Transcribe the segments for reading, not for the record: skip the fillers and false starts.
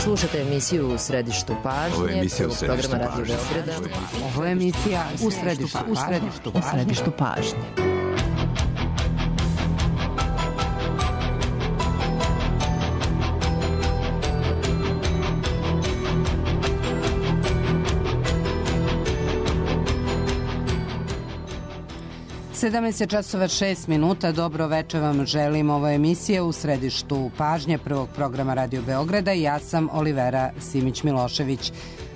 Slušate emisiju U središtu pažnje, prvog programa Radio Beograda. Ovo je emisija U središtu pažnje. časova 6 minuta. Dobro večer vam želim. Ovo je emisija U središtu pažnje prvog programa Radio Beograda i ja sam Olivera Simić-Milošević.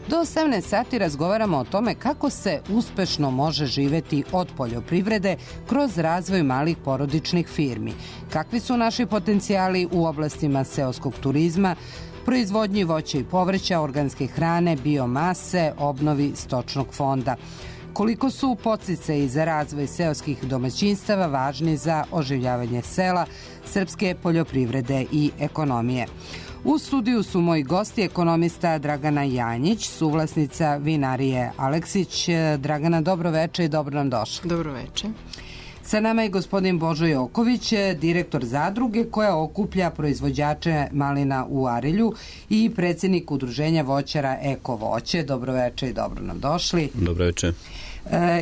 Do 18 sati razgovaramo o tome kako se uspešno može živeti od poljoprivrede kroz razvoj malih porodičnih firmi. Kakvi su naši potencijali u oblastima seoskog turizma, proizvodnji voća i povrća, organske hrane, biomase, obnovi stočnog fonda. Koliko su podsticaji za razvoj seoskih domaćinstava važni za oživljavanje sela, srpske poljoprivrede i ekonomije. U studiju su moji gosti, ekonomista Dragana Janjić, suvlasnica vinarije Aleksić. Dragana, dobro večer i dobro nam došli. Dobro večer. Sa nama je gospodin Božo Joković, direktor zadruge koja okuplja proizvođače malina u Arilju i predsjednik udruženja voćara Eko voće. Dobro večer i dobro nam došli. Dobro večer.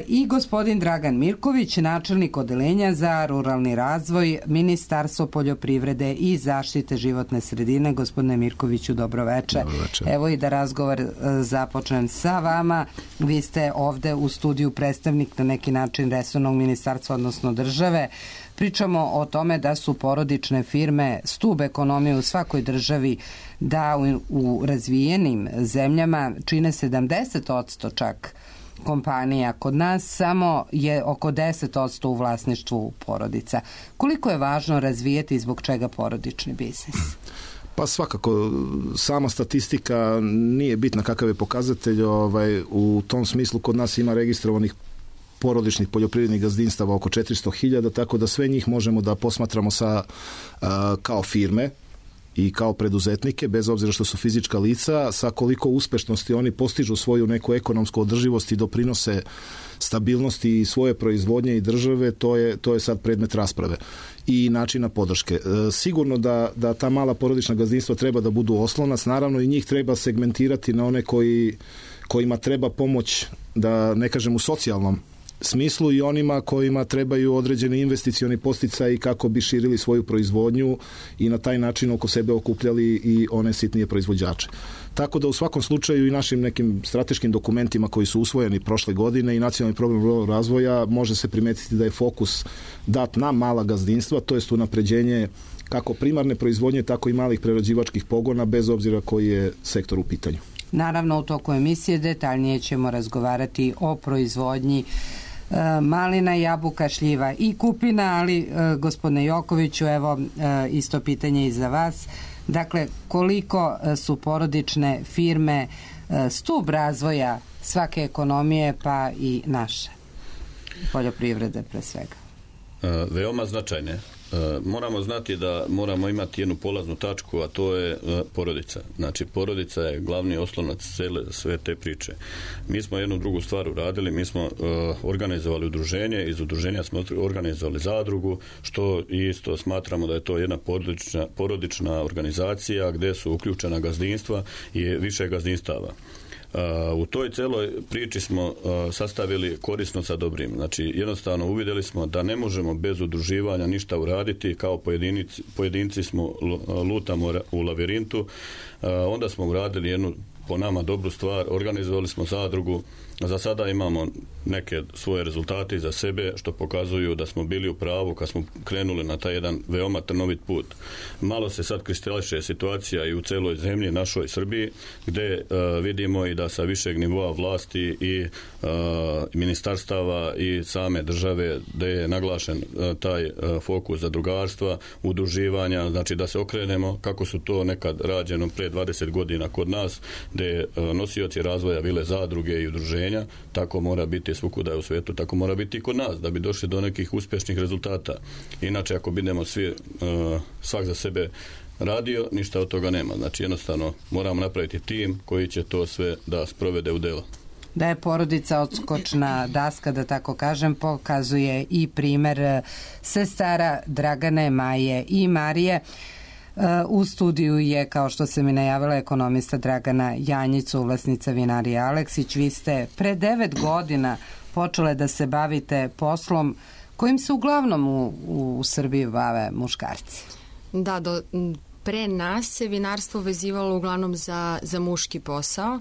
I gospodin Dragan Mirković, načelnik odeljenja za ruralni razvoj, Ministarstvo poljoprivrede i zaštite životne sredine. Gospodine Mirkoviću, dobro večer. Dobro večer. Evo i da razgovor započnem sa vama. Vi ste ovde u studiju predstavnik na neki način resornog ministarstva, odnosno države. Pričamo o tome da su porodične firme stub ekonomije u svakoj državi, da u razvijenim zemljama čine 70% čak kompanija. Kod nas samo je oko 10% u vlasništvu porodica. Koliko je važno razvijeti i zbog čega porodični biznis? Pa svakako, sama statistika nije bitna kakav je pokazatelj. U tom smislu kod nas ima registrovanih porodičnih poljoprivrednih gazdinstava oko 400.000, tako da sve njih možemo da posmatramo kao firme i kao preduzetnike, bez obzira što su fizička lica, sa koliko uspešnosti oni postižu svoju neku ekonomsku održivost i doprinose stabilnosti i svoje proizvodnje i države, to je sad predmet rasprave i načina podrške. Sigurno da ta mala porodična gazdinstva treba da budu oslonac, naravno i njih treba segmentirati na one kojima treba pomoć, da ne kažem u socijalnom smislu, i onima kojima trebaju određeni investicioni podsticaji kako bi širili svoju proizvodnju i na taj način oko sebe okupljali i one sitnije proizvođače. Tako da u svakom slučaju i našim nekim strateškim dokumentima koji su usvojeni prošle godine i nacionalni program ruralnog razvoja može se primetiti da je fokus dat na mala gazdinstva, to jest unapređenje kako primarne proizvodnje, tako i malih prerađivačkih pogona, bez obzira koji je sektor u pitanju. Naravno, u toku emisije detaljnije ćemo razgovarati o proizvodnji malina, jabuka, šljiva i kupina, ali gospodine Jokoviću, evo isto pitanje i za vas. Dakle, koliko su porodične firme stub razvoja svake ekonomije, pa i naše poljoprivrede pre svega? Veoma značajne. Moramo znati da moramo imati jednu polaznu tačku, a to je porodica. Znači, porodica je glavni oslonac sve te priče. Mi smo jednu drugu stvar uradili, mi smo organizovali udruženje, iz udruženja smo organizovali zadrugu, što isto smatramo da je to jedna porodična organizacija gdje su uključena gazdinstva i više gazdinstava. U toj celoj priči smo sastavili korisno sa dobrim. Znači, jednostavno uvidjeli smo da ne možemo bez udruživanja ništa uraditi, kao pojedinci smo lutamo u lavirintu. Onda smo uradili jednu po nama dobru stvar, organizovali smo zadrugu. Za sada imamo neke svoje rezultate za sebe što pokazuju da smo bili u pravu kad smo krenuli na taj jedan veoma trnovit put. Malo se sad kristališe situacija i u celoj zemlji, našoj Srbiji, gdje vidimo i da sa višeg nivoa vlasti i ministarstava i same države, gdje je naglašen taj fokus zadrugarstva, udruživanja, znači da se okrenemo kako su to nekad rađeno pre 20 godina kod nas, gdje nosioci razvoja bile zadruge i udruženja. Tako mora biti svukuda u svijetu, tako mora biti i kod nas, da bi došli do nekih uspješnih rezultata. Inače, ako budemo svi svak za sebe radio, ništa od toga nema. Znači, jednostavno moramo napraviti tim koji će to sve da sprovede u delo. Da je porodica odskočna daska, da tako kažem, pokazuje i primer sestara Dragane, Maje i Marije. U studiju je, kao što se mi najavila, ekonomista Dragana Janjić, suvlasnica vinarije Aleksić. Vi ste pre 9 godina počele da se bavite poslom kojim se uglavnom u Srbiji bave muškarci. Da, pre nas se vinarstvo vezivalo uglavnom za muški posao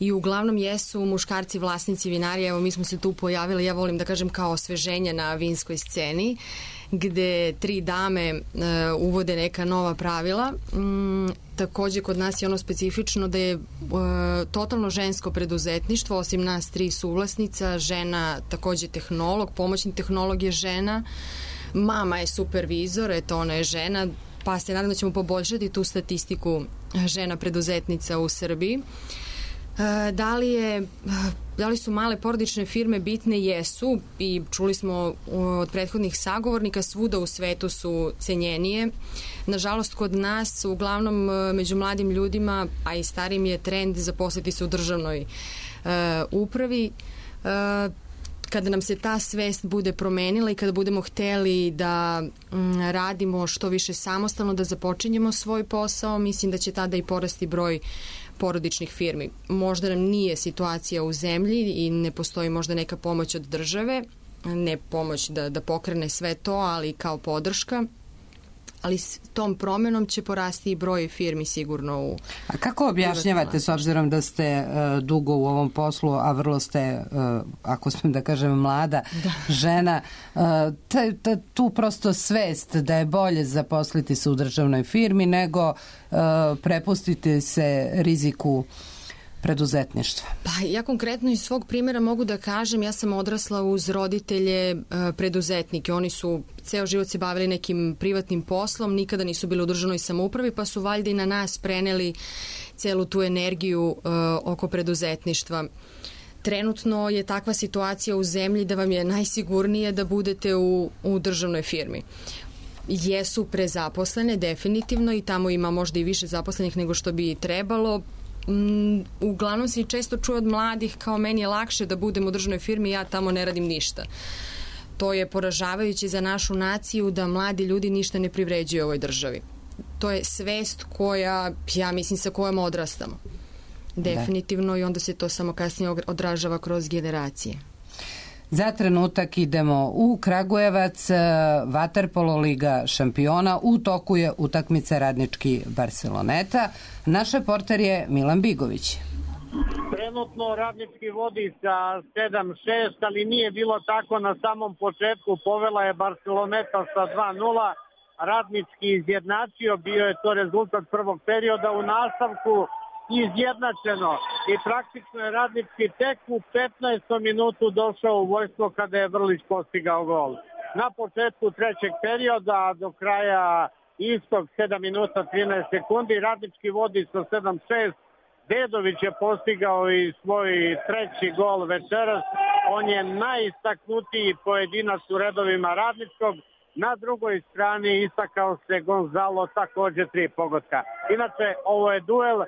i uglavnom jesu muškarci vlasnici vinarija. Evo, mi smo se tu pojavili, ja volim da kažem, kao osveženje na vinskoj sceni, gde 3 dame uvode neka nova pravila. Takođe, kod nas je ono specifično da je totalno žensko preduzetništvo, osim nas 3 suvlasnica, žena takođe tehnolog, pomoćni tehnolog je žena, mama je supervizor, eto, ona je žena, pa se nadam da ćemo poboljšati tu statistiku žena preduzetnica u Srbiji. Da li su male porodične firme bitne? Jesu, i čuli smo od prethodnih sagovornika, svuda u svetu su cenjenije. Nažalost, kod nas, uglavnom među mladim ljudima, a i starim, je trend zaposliti se u državnoj upravi. Kada nam se ta svest bude promenila i kada budemo hteli da radimo što više samostalno, da započinjemo svoj posao, mislim da će tada i porasti broj porodičnih firmi. Možda nam nije situacija u zemlji i ne postoji možda neka pomoć od države, ne pomoć da pokrene sve to, ali kao podrška. Ali s tom promenom će porasti i broj firmi sigurno u... A kako objašnjavate, s obzirom da ste dugo u ovom poslu, a vrlo ste, ako smijem da kažem, mlada žena, tu prosto svest da je bolje zaposliti se u državnoj firmi nego prepustiti se riziku preduzetništva? Pa ja konkretno iz svog primjera mogu da kažem, ja sam odrasla uz roditelje preduzetnike. Oni su ceo život se bavili nekim privatnim poslom, nikada nisu bili u državnoj samoupravi, pa su valjda i na nas preneli celu tu energiju oko preduzetništva. Trenutno je takva situacija u zemlji da vam je najsigurnije da budete u državnoj firmi. Jesu prezaposlene, definitivno, i tamo ima možda i više zaposlenih nego što bi trebalo. Uglavnom se i često čuje od mladih kao meni je lakše da budem u državnoj firmi, ja tamo ne radim ništa. To je poražavajuće za našu naciju da mladi ljudi ništa ne privređuju u ovoj državi. To je svest koja, ja mislim, sa kojom odrastamo. Definitivno, i onda se to samo kasnije odražava kroz generacije. Za trenutak idemo u Kragujevac, vaterpolo liga šampiona, u toku je utakmica Radnički Barceloneta. Naš reporter je Milan Bigović. Trenutno Radnički vodi sa 7-6, ali nije bilo tako na samom početku. Povela je Barceloneta sa 2-0. Radnički izjednačio, bio je to rezultat prvog perioda. U nastavku izjednačeno i praktično je Radnički tek u 15. minutu došao u vojstvo kada je Vrlić postigao gol. Na početku trećeg perioda do kraja istog 7 minuta 13 sekundi Radnički vodi sa 7-6. Dedović je postigao i svoj treći gol večeras. On je najistaknutiji pojedinac u redovima Radničkog. Na drugoj strani istakao se Gonzalo, također 3 pogotka. Inače, ovo je duel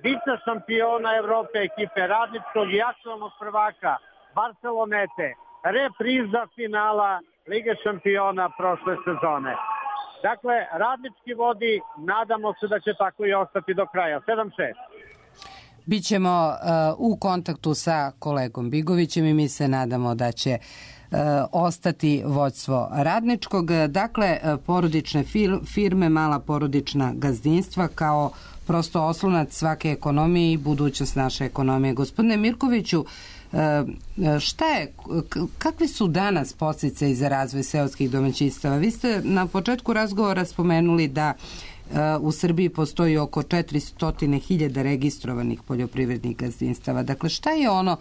vice šampiona Evrope ekipe Radničkog i aktualnog prvaka Barcelonete. Repriza finala Lige šampiona prošle sezone. Dakle, Radnički vodi, nadamo se da će tako i ostati do kraja. 7-6. Bićemo u kontaktu sa kolegom Bigovićem i mi se nadamo da će ostati vođstvo Radničkog. Dakle, porodične firme, mala porodična gazdinstva kao prosto oslonac svake ekonomije i budućnost naše ekonomije. Gospodine Mirkoviću, kakvi su danas podsticaji za razvoj seoskih domaćinstava? Vi ste na početku razgovora spomenuli da u Srbiji postoji oko 400.000 registrovanih poljoprivrednih gazdinstava. Dakle, šta je ono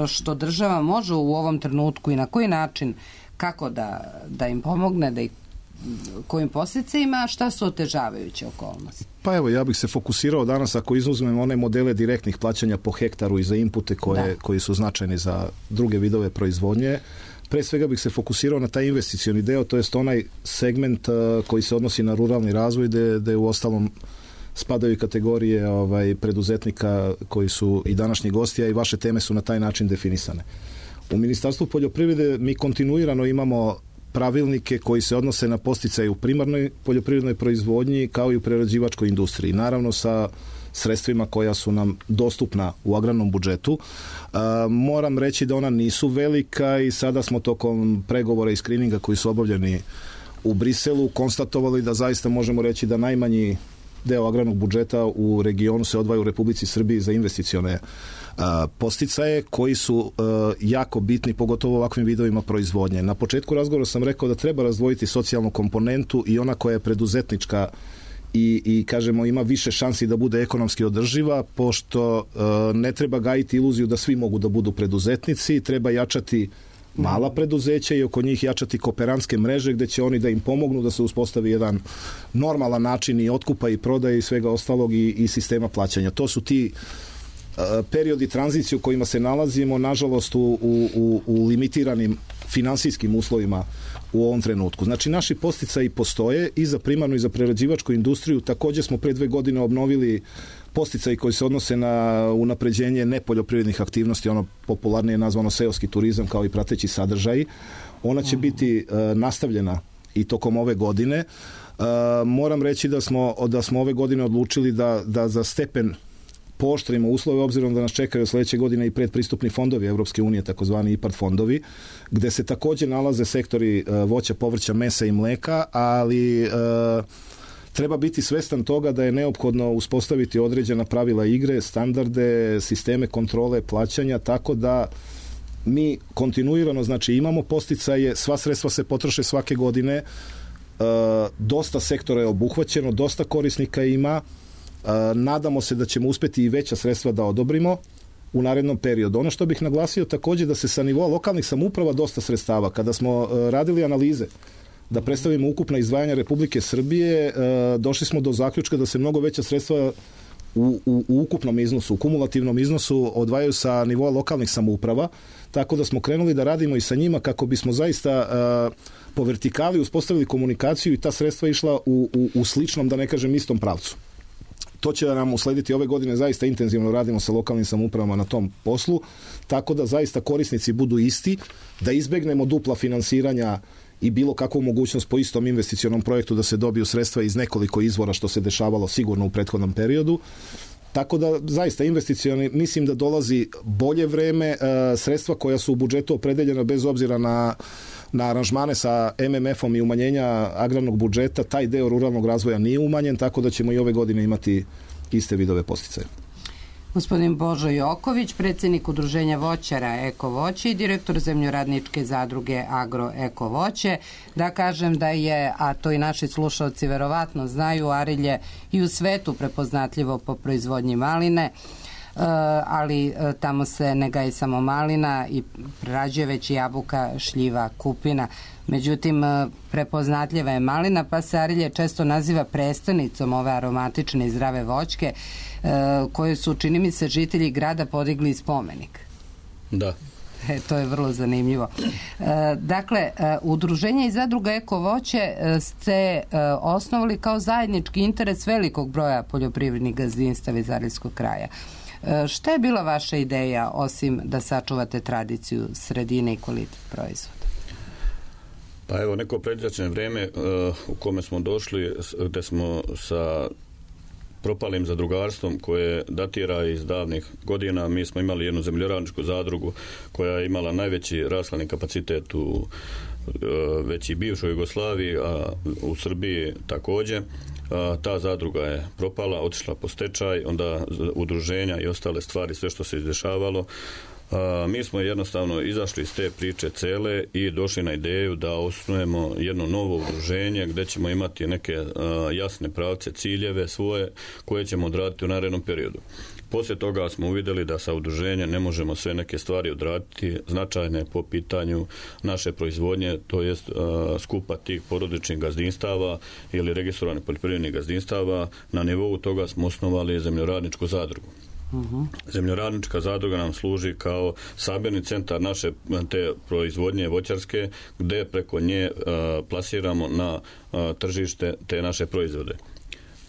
što država može u ovom trenutku i na koji način, kako da im pomogne, da ih kojim podsticajima, šta su otežavajuće okolnosti? Pa evo, ja bih se fokusirao danas, ako izuzmemo one modele direktnih plaćanja po hektaru i za inpute koji su značajni za druge vidove proizvodnje. Pre svega bih se fokusirao na taj investicioni deo, to jest onaj segment koji se odnosi na ruralni razvoj, gde u ostalom spadaju i kategorije preduzetnika koji su i današnji gosti, a i vaše teme su na taj način definisane. U Ministarstvu poljoprivrede mi kontinuirano imamo pravilnike koji se odnose na posticaje u primarnoj poljoprivrednoj proizvodnji kao i u prerađivačkoj industriji. Naravno sa sredstvima koja su nam dostupna u agrarnom budžetu. Moram reći da ona nisu velika i sada smo tokom pregovora i skrininga koji su obavljeni u Briselu konstatovali da zaista možemo reći da najmanji deo agrarnog budžeta u regionu se odvaja u Republici Srbiji za investicione posticaje koji su jako bitni, pogotovo u ovakvim vidovima proizvodnje. Na početku razgovora sam rekao da treba razdvojiti socijalnu komponentu i ona koja je preduzetnička i kažemo ima više šansi da bude ekonomski održiva, pošto ne treba gajiti iluziju da svi mogu da budu preduzetnici, treba jačati mala preduzeća i oko njih jačati kooperantske mreže gde će oni da im pomognu da se uspostavi jedan normalan način i otkupa i prodaje i svega ostalog i sistema plaćanja. To su ti periodi tranzicije u kojima se nalazimo, nažalost u limitiranim finansijskim uslovima u ovom trenutku. Znači, naši podsticaji postoje i za primarnu i za prerađivačku industriju. Također smo pre 2 godine obnovili podsticaji koji se odnose na unapređenje nepoljoprivrednih aktivnosti, ono popularnije nazvano seoski turizam kao i prateći sadržaji. Ona će biti nastavljena i tokom ove godine. Moram reći da smo ove godine odlučili da za stepen pooštrimo uslove, obzirom da nas čekaju sledeće godine i predpristupni fondovi Evropske unije, takozvani IPARD fondovi, gde se također nalaze sektori voća, povrća, mesa i mleka, ali treba biti svestan toga da je neophodno uspostaviti određena pravila igre, standarde, sisteme kontrole plaćanja, tako da mi kontinuirano, znači imamo podsticaje, sva sredstva se potroše svake godine, dosta sektora je obuhvaćeno, dosta korisnika ima, nadamo se da ćemo uspeti i veća sredstva da odobrimo u narednom periodu. Ono što bih naglasio također da se sa nivoa lokalnih samouprava dosta sredstava, kada smo radili analize da predstavimo ukupna izdvajanja Republike Srbije, došli smo do zaključka da se mnogo veća sredstva u ukupnom iznosu, u kumulativnom iznosu odvajaju sa nivoa lokalnih samouprava, tako da smo krenuli da radimo i sa njima kako bismo zaista po vertikali uspostavili komunikaciju i ta sredstva išla u sličnom, da ne kažem istom pravcu. To će nam uslediti ove godine, zaista intenzivno radimo sa lokalnim samoupravama na tom poslu, tako da zaista korisnici budu isti, da izbegnemo dupla finansiranja i bilo kakvu mogućnost po istom investicionom projektu da se dobiju sredstva iz nekoliko izvora, što se dešavalo sigurno u prethodnom periodu. Tako da zaista investicioni, mislim da dolazi bolje vreme, sredstva koja su u budžetu opredeljena bez obzira na aranžmane sa MMF-om i umanjenja agrarnog budžeta, taj deo ruralnog razvoja nije umanjen, tako da ćemo i ove godine imati iste vidove podsticaja. Gospodin Božo Joković, predsjednik Udruženja voćara Eko voće i direktor zemljoradničke zadruge Agro Eko voće. Da kažem da je, a to i naši slušalci verovatno znaju, Arilje i u svetu prepoznatljivo po proizvodnji maline, ali tamo se ne gaji samo malina i prerađuje već i jabuka, šljiva, kupina. Međutim, prepoznatljiva je malina, pa se Arilje često naziva prestonicom ove aromatične i zdrave voćke, koje su, čini mi se, žitelji grada podigli spomenik. Da. To je vrlo zanimljivo. Dakle, Udruženje i zadruga Eko voće ste osnovali kao zajednički interes velikog broja poljoprivrednih gazdinstava iz Ariljskog kraja. Šta je bila vaša ideja, osim da sačuvate tradiciju sredine i kvalitet proizvoda? Pa evo, neko predviđačno vrijeme u kome smo došli, gde smo sa propalim zadrugarstvom koje datira iz davnih godina. Mi smo imali jednu zemljoradničku zadrugu koja je imala najveći rashladni kapacitet u već i bivšoj Jugoslaviji, a u Srbiji također. Ta zadruga je propala, otišla po stečaj, onda udruženja i ostale stvari, sve što se izdešavalo. Mi smo jednostavno izašli iz te priče cele i došli na ideju da osnujemo jedno novo udruženje gdje ćemo imati neke jasne pravce, ciljeve svoje koje ćemo odraditi u narednom periodu. Poslije toga smo uvidjeli da sa udruženjem ne možemo sve neke stvari odraditi značajne po pitanju naše proizvodnje, to jest skupa tih porodičnih gazdinstava ili registrovanih poljoprivrednih gazdinstava. Na nivou toga smo osnovali zemljoradničku zadrugu. Zemljoradnička zadruga nam služi kao sabirni centar naše te proizvodnje voćarske, gdje preko nje plasiramo na tržište te naše proizvode.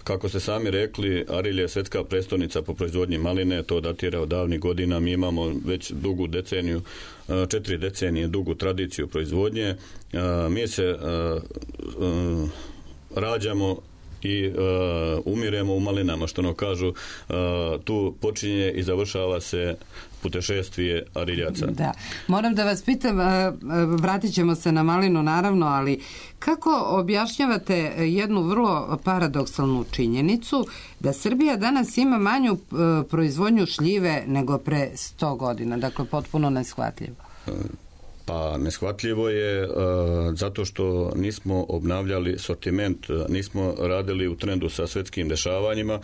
kako ste sami rekli, Arilje je svjetska prestolnica po proizvodnji maline, to datira od davnih godina, mi imamo već dugu deceniju, 4 decenije dugu tradiciju proizvodnje. Mi se rađamo i umiremo u malinama, što ono kažu, tu počinje i završava se putešestvije Ariljaca. Da. Moram da vas pitam, vratit ćemo se na malinu naravno, ali kako objašnjavate jednu vrlo paradoksalnu činjenicu da Srbija danas ima manju proizvodnju šljive nego pre 100 godina, dakle potpuno neshvatljivo? Pa neshvatljivo je zato što nismo obnavljali sortiment, nismo radili u trendu sa svjetskim dešavanjima,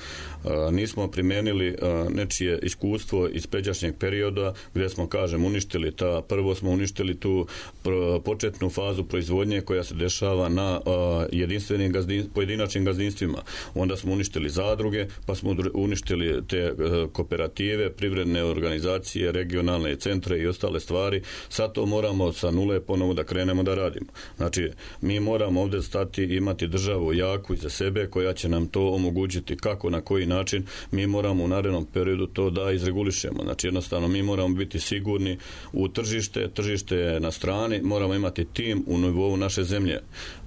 nismo primijenili nečije iskustvo iz pređašnjeg perioda gdje smo, kažem, uništili prvo smo uništili tu početnu fazu proizvodnje koja se dešava na jedinstvenim pojedinačnim gazdinstvima. Onda smo uništili zadruge, pa smo uništili te kooperative, privredne organizacije, regionalne centre i ostale stvari. Sad to moramo sa nule ponovo da krenemo da radimo. Znači, mi moramo ovdje stati i imati državu jaku iza sebe koja će nam to omogućiti kako, na koji način. Mi moramo u narednom periodu to da izregulišemo. Znači, jednostavno, mi moramo biti sigurni u tržište je na strani, moramo imati tim u nivou naše zemlje.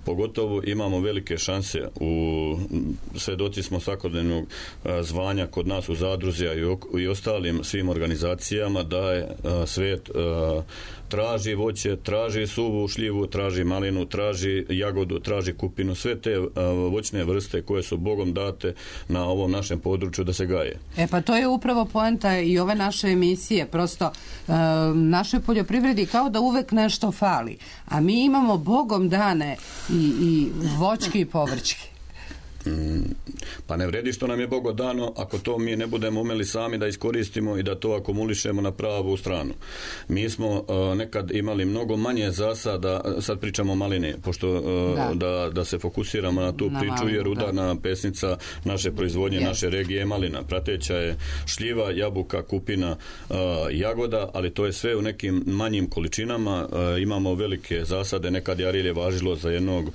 Pogotovo imamo velike šanse svedoci smo svakodnevnog zvanja kod nas u zadruzi i ostalim svim organizacijama da je svijet traži voće, traži suvu šljivu, traži malinu, traži jagodu, traži kupinu, sve te voćne vrste koje su Bogom date na ovom našem području da se gaje. Pa to je upravo poenta i ove naše emisije, prosto našoj poljoprivredi kao da uvek nešto fali, a mi imamo Bogom dane i voćke i povrćke. Pa ne vredi što nam je Bogo dano ako to mi ne budemo umeli sami da iskoristimo i da to akumulišemo na pravu stranu. Mi smo nekad imali mnogo manje zasada, sad pričamo o malini, pošto da se fokusiramo na tu priču, jer udarna pesnica naše proizvodnje, naše regije je malina. Prateća je šljiva, jabuka, kupina, jagoda, ali to je sve u nekim manjim količinama. Imamo velike zasade, nekad je Arilje važilo za jednog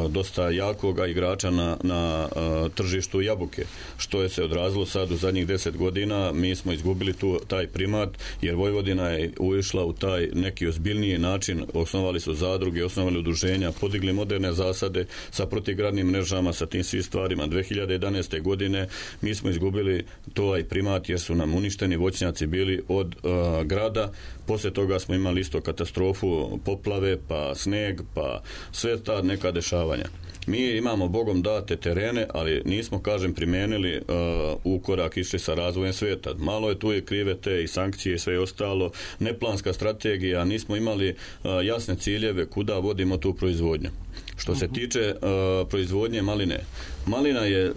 dosta jakoga igrača na tržištu jabuke, što je se odrazilo sad u zadnjih 10 godina. Mi smo izgubili taj primat, jer Vojvodina je ušla u taj neki ozbiljniji način, osnovali su zadruge, osnovali udruženja, podigli moderne zasade sa protivgradnim mrežama, sa tim svim stvarima. 2011. godine mi smo izgubili taj primat jer su nam uništeni voćnjaci bili od grada. Poslije toga smo imali isto katastrofu, poplave, pa sneg, pa sve ta neka dešavanja. Mi imamo Bogom date terene, ali nismo, kažem, primijenili u korak išli sa razvojem svijeta. Malo je tu je krive te i sankcije i sve ostalo, neplanska strategija, nismo imali jasne ciljeve kuda vodimo tu proizvodnju. Što se tiče proizvodnje maline, malina je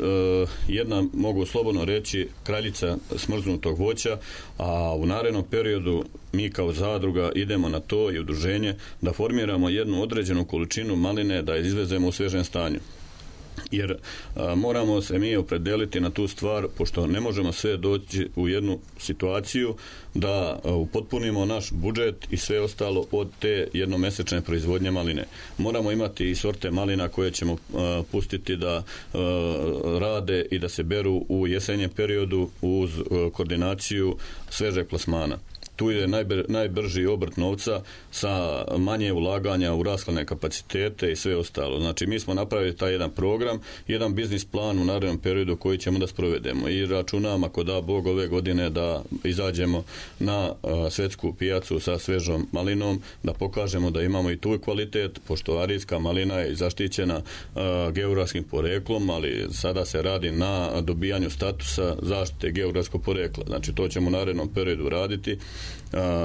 jedna, mogu slobodno reći, kraljica smrznutog voća, a u narednom periodu mi kao zadruga idemo na to i udruženje da formiramo jednu određenu količinu maline da je izvezemo u svežem stanju. Jer moramo se mi opredeliti na tu stvar, pošto ne možemo sve doći u jednu situaciju da upotpunimo naš budžet i sve ostalo od te jednomesečne proizvodnje maline. Moramo imati i sorte malina koje ćemo pustiti da rade i da se beru u jesenjem periodu uz koordinaciju svežeg plasmana. Tu je najbrži obrt novca sa manje ulaganja u rashladne kapacitete i sve ostalo. Znači, mi smo napravili taj jedan program, jedan biznis plan u narednom periodu koji ćemo da sprovedemo i računamo, ako da Bog, ove godine da izađemo na svjetsku pijacu sa svežom malinom, da pokažemo da imamo i tu kvalitet, pošto arijska malina je zaštićena geografskim poreklom, ali sada se radi na dobijanju statusa zaštite geografskog porekla. Znači, to ćemo u narednom periodu raditi.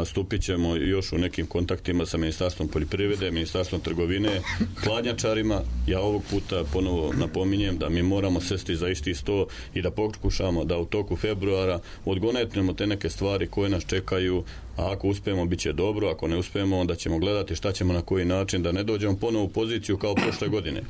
Stupit ćemo još u nekim kontaktima sa Ministarstvom poljoprivrede, Ministarstvom trgovine, hladnjačarima. Ja ovog puta ponovo napominjem da mi moramo sesti za isti sto i da pokušamo da u toku februara odgonetnemo te neke stvari koje nas čekaju, a ako uspijemo bit će dobro, ako ne uspijemo onda ćemo gledati šta ćemo na koji način, da ne dođemo ponovo u poziciju kao prošle godine.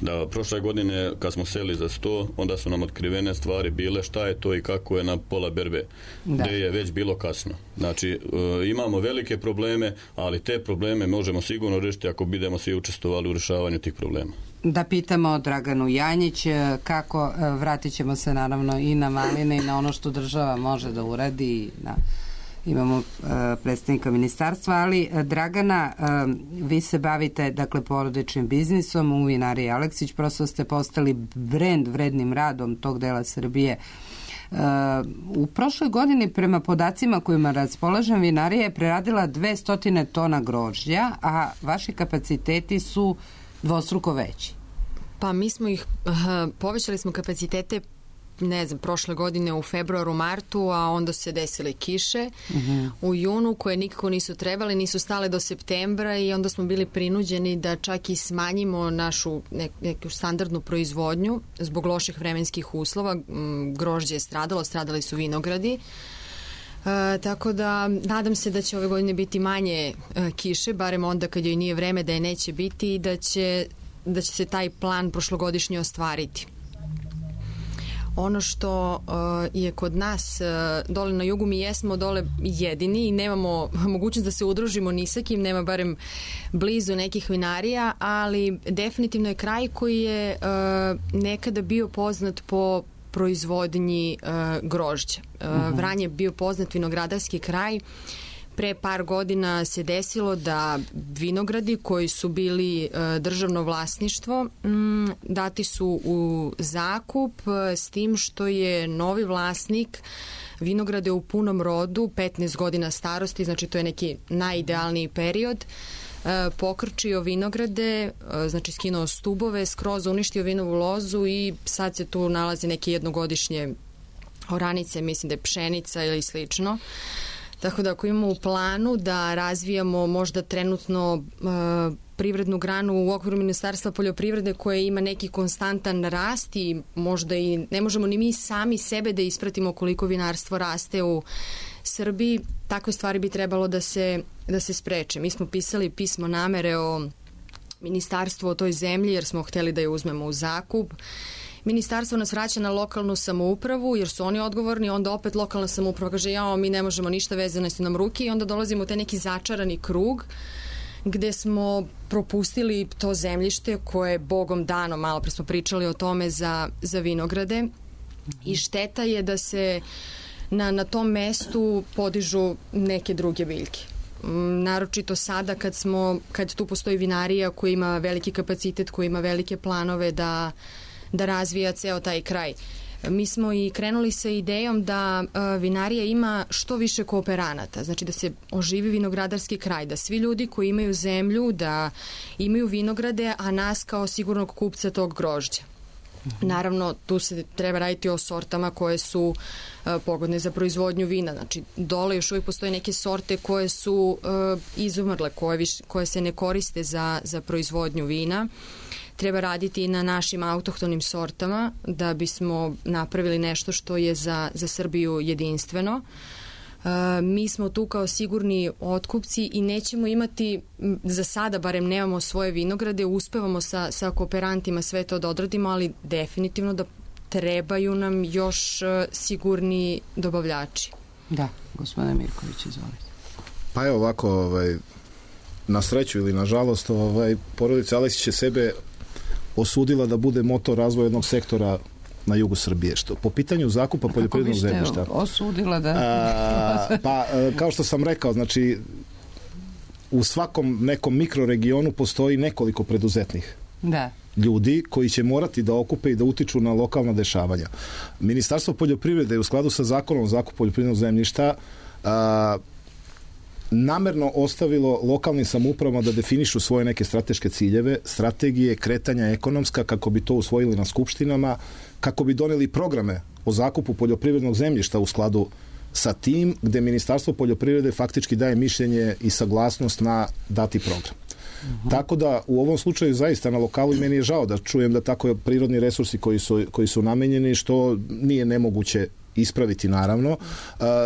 Da prošle godine kad smo seli za 100, onda su nam otkrivene stvari bile šta je to i kako je na pola berbe, gdje je već bilo kasno. Znači, imamo velike probleme, ali te probleme možemo sigurno riješiti ako budemo svi učestvovali u rješavanju tih problema. da pitamo Draganu Janjić kako, vratit ćemo se naravno i na maline i na ono što država može da uradi, imamo predstavnika ministarstva, ali Dragana, vi se bavite dakle porodičnim biznisom u vinariji Aleksić, prosto ste postali brend vrednim radom tog dela Srbije. U prošloj godini prema podacima kojima raspolažem vinarija je preradila 200 tona grožđa, a vaši kapaciteti su dvostruko veći. Pa mi smo povećali smo kapacitete prošle godine u februaru, martu, a onda se desile kiše u junu koje nikako nisu trebale, nisu stale do septembra i onda smo bili prinuđeni da čak i smanjimo našu neku standardnu proizvodnju zbog loših vremenskih uslova. Grožđe je stradali su vinogradi. Tako da nadam se da će ove godine biti manje kiše, barem onda kad joj nije vreme da je neće biti i da će se taj plan prošlogodišnji ostvariti. Ono što je kod nas dole na jugu, mi jesmo dole jedini i nemamo mogućnost da se udružimo ni sa kim, nema barem blizu nekih vinarija, ali definitivno je kraj koji je nekada bio poznat po proizvodnji grožđa. Vranje je bio poznat vinogradarski kraj. Pre par godina se desilo da vinogradi koji su bili državno vlasništvo dati su u zakup s tim što je novi vlasnik vinograde u punom rodu, 15 godina starosti, znači to je neki najidealniji period, pokrčio vinograde, znači skinuo stubove, skroz uništio vinovu lozu i sad se tu nalazi neke jednogodišnje oranice, mislim da je pšenica ili slično. Tako da ako imamo u planu da razvijamo možda trenutno privrednu granu u okviru Ministarstva poljoprivrede koja ima neki konstantan rast i možda i ne možemo ni mi sami sebe da ispratimo koliko vinarstvo raste u Srbiji, takve stvari bi trebalo da se spreče. Mi smo pisali pismo namere o ministarstvu o toj zemlji jer smo hteli da je uzmemo u zakup. Ministarstvo nas vraća na lokalnu samoupravu jer su oni odgovorni, onda opet lokalna samouprava kaže mi ne možemo ništa, vezane su nam ruke i onda dolazimo u taj neki začarani krug gde smo propustili to zemljište koje je Bogom dano, malo pre smo pričali o tome za kad i šteta je da se na tom mestu podižu neke druge biljke. Naročito sada kad tu postoji vinarija koja ima veliki kapacitet, koja ima velike planove da razvija ceo taj kraj. Mi smo i krenuli sa idejom da vinarija ima što više kooperanata, znači da se oživi vinogradarski kraj, da svi ljudi koji imaju zemlju, da imaju vinograde, a nas kao sigurnog kupca tog grožđa. Naravno, tu se treba raditi o sortama koje su pogodne za proizvodnju vina. Znači, dole još uvijek postoje neke sorte koje su izumrle, koje se ne koriste za proizvodnju vina. Treba raditi i na našim autohtonim sortama da bismo napravili nešto što je za Srbiju jedinstveno. Mi smo tu kao sigurni otkupci i nećemo imati, za sada barem nemamo svoje vinograde, uspevamo sa kooperantima sve to da odradimo, ali definitivno da trebaju nam još sigurni dobavljači. Da, gospodine Mirković, izvolite. Pa evo ovako, na sreću ili na žalost, porodica Aleksić je sebe osudila da bude motor razvoja jednog sektora na jugu Srbije. Što po pitanju zakupa poljoprivrednog zemljišta. Kako biste osudila da... Pa, kao što sam rekao, znači u svakom nekom mikroregionu postoji nekoliko preduzetnih ljudi koji će morati da okupe i da utiču na lokalna dešavanja. Ministarstvo poljoprivrede je u skladu sa zakonom o zakupu poljoprivrednog zemljišta namerno ostavilo lokalnim samoupravama da definišu svoje neke strateške ciljeve, strategije, kretanja ekonomska, kako bi to usvojili na skupštinama, kako bi doneli programe o zakupu poljoprivrednog zemljišta u skladu sa tim, gde Ministarstvo poljoprivrede faktički daje mišljenje i saglasnost na dati program. Tako da u ovom slučaju zaista na lokalu i meni je žao da čujem da tako prirodni resursi koji su namenjeni, što nije nemoguće ispraviti naravno.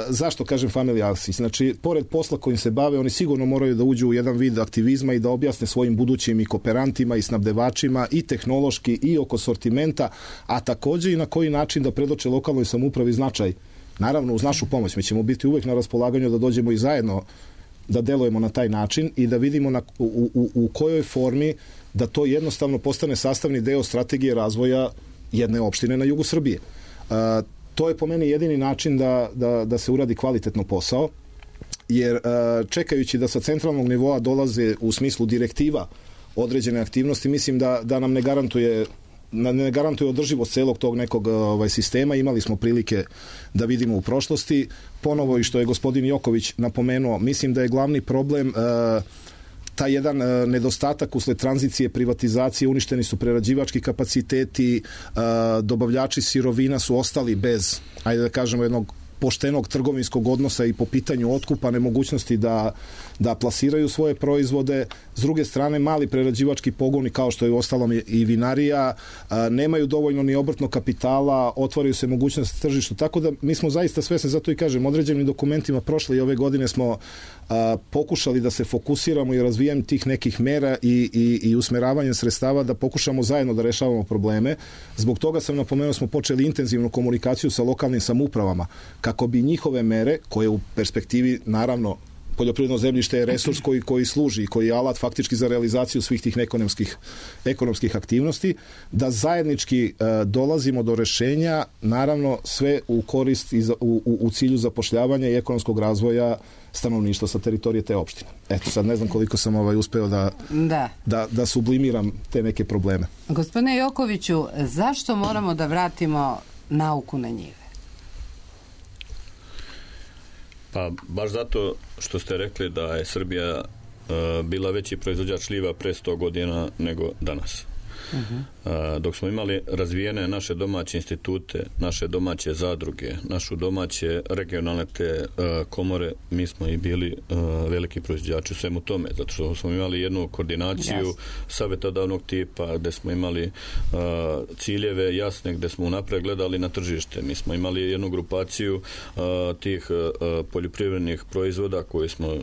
Zašto kažem Family Aleksić? Znači, pored posla kojim se bave, oni sigurno moraju da uđu u jedan vid aktivizma i da objasne svojim budućim i kooperantima i snabdevačima i tehnološki i oko sortimenta, a takođe i na koji način da predoče lokalnoj samoupravi značaj. Naravno, uz našu pomoć. Mi ćemo biti uvek na raspolaganju da dođemo i zajedno da delujemo na taj način i da vidimo u kojoj formi da to jednostavno postane sastavni deo strategije razvoja jedne opštine na jugu Srbije. To je po meni jedini način da se uradi kvalitetno posao, jer čekajući da sa centralnog nivoa dolaze u smislu direktiva određene aktivnosti, mislim da nam ne garantuje održivost celog tog nekog sistema. Imali smo prilike da vidimo u prošlosti. Ponovo i što je gospodin Joković napomenuo, mislim da je glavni problem taj jedan nedostatak usled tranzicije, privatizacije, uništeni su prerađivački kapaciteti, dobavljači sirovina su ostali bez, ajde da kažemo, jednog poštenog trgovinskog odnosa i po pitanju otkupa, nemogućnosti da plasiraju svoje proizvode. S druge strane, mali prerađivački pogoni, kao što je uostalom i vinarija, nemaju dovoljno ni obrtnog kapitala, otvaraju se mogućnosti tržištu. Tako da mi smo zaista svesni, zato i kažem, određenim dokumentima prošle i ove godine smo pokušali da se fokusiramo i razvijanjem tih nekih mera i usmeravanjem sredstava da pokušamo zajedno da rešavamo probleme. Zbog toga sam napomenuo, smo počeli intenzivnu komunikaciju sa lokalnim samoupravama kako bi njihove mere, koje u perspektivi, naravno, poljoprivredno zemljište je resurs koji služi, koji je alat faktički za realizaciju svih tih ekonomskih aktivnosti, da zajednički dolazimo do rešenja, naravno sve u korist i u cilju zapošljavanja i ekonomskog razvoja stanovništva sa teritorije te opštine. Eto, sad ne znam koliko sam uspeo da sublimiram te neke probleme. Gospodine Jokoviću, zašto moramo da vratimo nauku na njive? Pa baš zato što ste rekli da je Srbija bila veći proizvođač šljiva pre 100 godina nego danas. Dok smo imali razvijene naše domaće institute, naše domaće zadruge, našu domaće regionalne te komore, mi smo i bili veliki proizvođači u svemu tome, zato što smo imali jednu koordinaciju savjetodavnog tipa, gde smo imali ciljeve jasne, gde smo unapred gledali na tržište. Mi smo imali jednu grupaciju tih poljoprivrednih proizvoda koji smo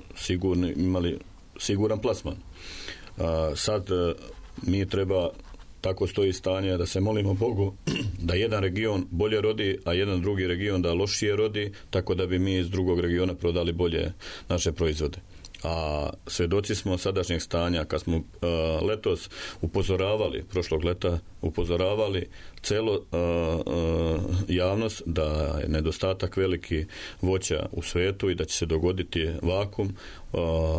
imali siguran plasman. Sad mi treba, tako stoji stanje, da se molimo Bogu da jedan region bolje rodi, a jedan drugi region da lošije rodi, tako da bi mi iz drugog regiona prodali bolje naše proizvode. A svedoci smo sadašnjeg stanja, kad smo letos prošlog leta upozoravali celo javnost da je nedostatak veliki voća u svetu i da će se dogoditi vakum.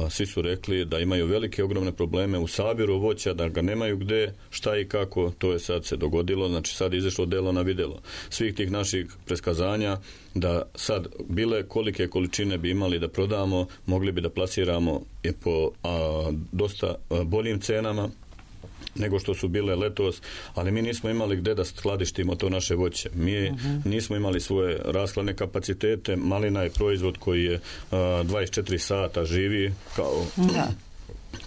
Svi su rekli da imaju velike ogromne probleme u sabiru voća, da ga nemaju gde, šta i kako. To je sad se dogodilo, znači sad je izašlo delo na videlo svih tih naših preskazanja, da sad bile kolike količine bi imali da prodamo, mogli bi da plasiramo po dosta boljim cenama nego što su bile letos, ali mi nismo imali gde da skladištimo to naše voće. Mi nismo imali svoje rashladne kapacitete. Malina je proizvod koji je 24 sata živi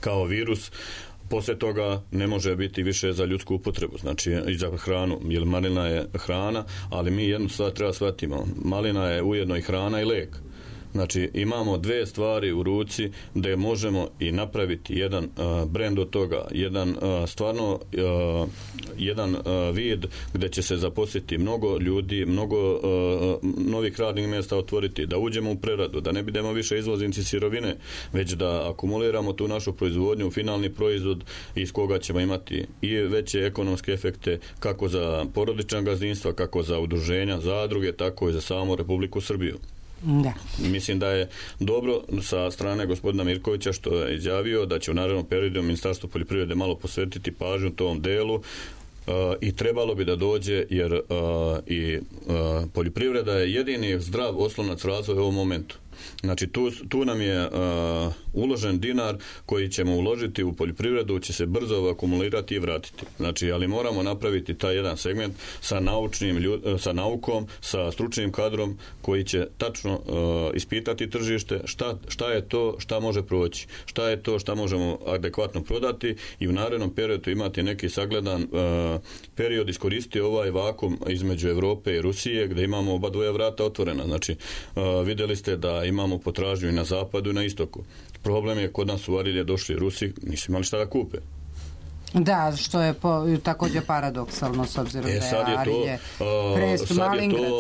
kao virus. Posle toga ne može biti više za ljudsku upotrebu, znači i za hranu, jer malina je hrana, ali mi jednu stvar treba shvatimo. Malina je ujedno i hrana i lek. Znači, imamo dve stvari u ruci gde možemo i napraviti jedan brend od toga, jedan vid gde će se zaposliti mnogo ljudi, mnogo novih radnih mjesta otvoriti, da uđemo u preradu, da ne budemo više izvoznici sirovine, već da akumuliramo tu našu proizvodnju u finalni proizvod iz koga ćemo imati i veće ekonomske efekte kako za porodična gazdinstva, kako za udruženja, zadruge, tako i za samu Republiku Srbiju. Da. Mislim da je dobro sa strane gospodina Mirkovića što je izjavio da će u narednom periodu Ministarstvo poljoprivrede malo posvetiti pažnju tom delu i trebalo bi da dođe, jer poljoprivreda je jedini zdrav oslonac razvoja u ovom momentu. Znači tu nam je uložen dinar koji ćemo uložiti u poljoprivredu, će se brzo akumulirati i vratiti. Znači, ali moramo napraviti taj jedan segment sa naukom, sa stručnim kadrom koji će tačno ispitati tržište, šta je to, šta može proći, šta je to šta možemo adekvatno prodati i u narednom periodu imati neki sagledan period, iskoristiti ovaj vakum između Evrope i Rusije gdje imamo oba dvoja vrata otvorena. Znači, vidjeli ste da imamo potražnju i na zapadu i na istoku. Problem je kod nas u Arilje došli Rusi, nisu imali šta da kupe. Da, što je također paradoksalno s obzirom da je Arilje Prestu Malingrac.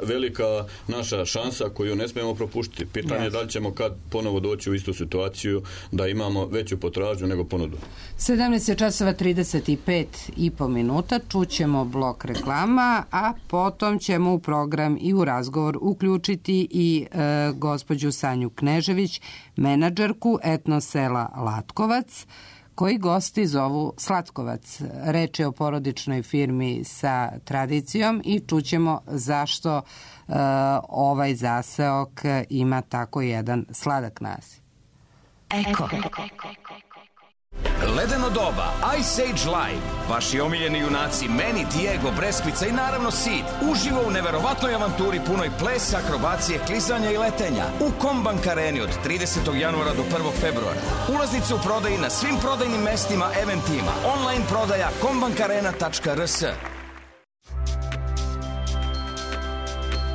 Velika naša šansa koju ne smijemo propuštiti. Pitanje je da li ćemo kad ponovo doći u istu situaciju da imamo veću potražnju nego ponudu. 17:35 minuta, čućemo blok reklama, a potom ćemo u program i u razgovor uključiti i gospođu Sanju Knežević, menadžerku etno sela Latkovac, koji gosti zovu Slatkovac. Reč je o porodičnoj firmi sa tradicijom i čućemo zašto ovaj zaseok ima tako jedan sladak naziv. Eko. Ledeno doba, Ice Age Live, vaši omiljeni junaci Manny, Diego, Breskvica i naravno Sid uživo u neverovatnoj avanturi punoj plesa, akrobacije, klizanja i letenja u Kombank Areni od 30. januara do 1. februara. Ulaznice u prodaji na svim prodajnim mestima, eventima, online prodaja kombankarena.rs.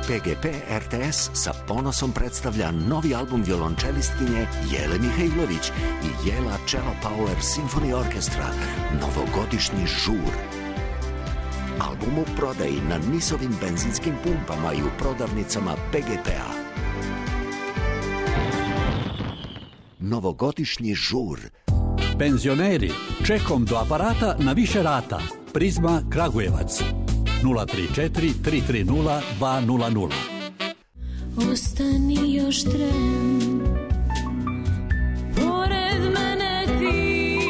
PGP RTS sa ponosom predstavlja novi album violončelistkinje Jele Mihajlović i Jela Cello Power Symphony Orchestra, Novogodišnji žur. Album u prodaji na NIS-ovim benzinskim pumpama i u prodavnicama PGP-a. Novogodišnji žur. Penzioneri, čekom do aparata na više rata. Prizma Kragujevac. 034 330 200. Ostani još tren, pored mene ti,